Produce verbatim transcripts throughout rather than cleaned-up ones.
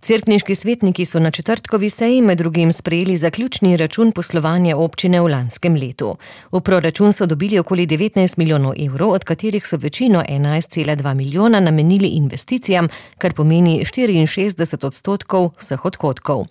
Cerkniški svetniki so na četrtkovi seji med drugim sprejeli zaključni račun poslovanja občine v lanskem letu. V proračun so dobili okoli devetnajst milijonov evrov, od katerih so večino enajst cela dva milijona namenili investicijam, kar pomeni štiriinšestdeset odstotkov vseh odhodkov.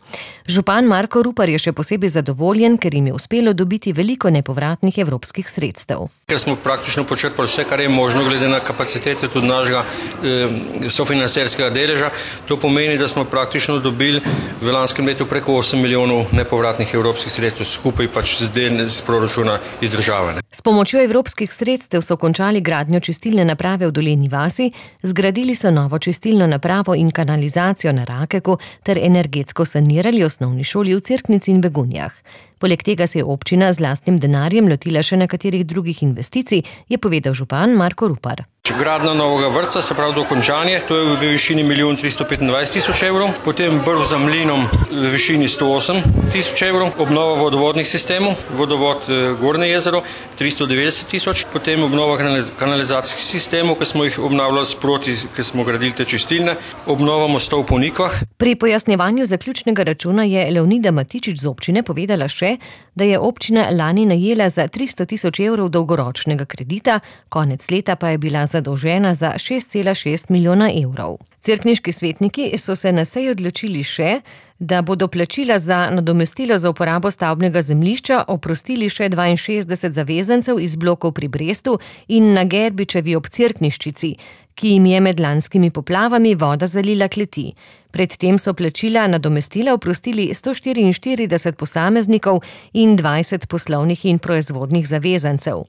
Župan Marko Rupar je še posebej zadovoljen, ker jim je uspelo dobiti veliko nepovratnih evropskih sredstev. Ker smo praktično počrpali vse, kar je možno glede na kapacitete tudi našega eh, sofinancerskega deleža, to pomeni, da smo praktično dobili v lanskem letu preko osem milijonov nepovratnih evropskih sredstev, skupaj pač z del z proračuna iz države. S pomočjo evropskih sredstev so končali gradnjo čistilne naprave v Dolenji vasi, zgradili so novo čistilno napravo in kanalizacijo na Rakeku ter energetsko sanirali osnovni šoli v Cerknici in Begunjah. Poleg tega se je občina z lastnim denarjem lotila še nekaterih drugih investicij, je povedal župan Marko Rupar. Gradnja novega vrtca, se pravi dokončanje, to je v višini milijon tristo petindvajset tisoč evrov, potem brv za mlinom v višini sto osem tisoč evrov, obnova vodovodnih sistemov, vodovod Gornje jezero tristo devetdeset tisoč, potem obnova kanalizacijskih sistemov, ki smo jih obnavljali sproti, ki smo gradili te čistilne, obnova mostov po Nikvah. Pri pojasnjevanju zaključnega računa je Leonida Matičič z občine povedala še, da je občina lani najela za tristo tisoč evrov dolgoročnega kredita, konec leta pa je bila zadolžena za šest cela šest milijona evrov. Cerkniški svetniki so se na seji odločili še, da bodo plačila za nadomestilo za uporabo stavbnega zemljišča oprostili še dvainšestdeset zavezancev iz blokov pri Brestu in na Gerbičevi ob Cerkniščici, ki jim je med lanskimi poplavami voda zalila kleti. Predtem so plačila nadomestila oprostili sto štiriinštirideset posameznikov in dvajset poslovnih in proizvodnih zavezancev.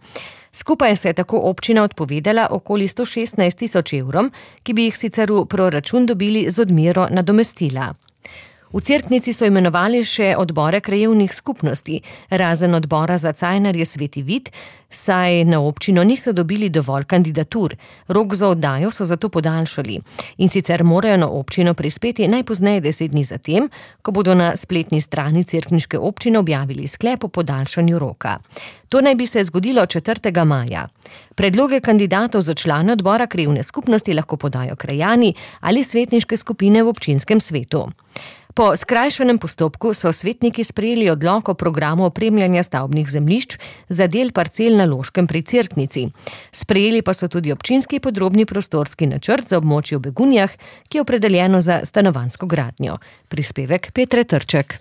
Skupaj se je tako občina odpovedala okoli sto šestnajst tisoč evrom, ki bi jih sicer v proračun dobili z odmero nadomestila. V Cerknici so imenovali še odbore krajevnih skupnosti, razen odbora za Cajnarje Sveti Vid, saj na občino niso dobili dovolj kandidatur. Rok za oddajo so zato podaljšali. In sicer morajo na občino prispeti najpozneje deset dni zatem, ko bodo na spletni strani cerkniške občine objavili sklep o podaljšanju roka. To naj bi se zgodilo četrtega maja. Predloge kandidatov za člane odbora krajevne skupnosti lahko podajo krajani ali svetniške skupine v občinskem svetu. Po skrajšanem postopku so svetniki sprejeli odlok o programu opremljanja stavbnih zemljišč za del parcel na Loškem pri Cerknici. Sprejeli pa so tudi občinski podrobni prostorski načrt za območje v Begunjah, ki je opredeljeno za stanovanjsko gradnjo. Prispevek Petre Trček.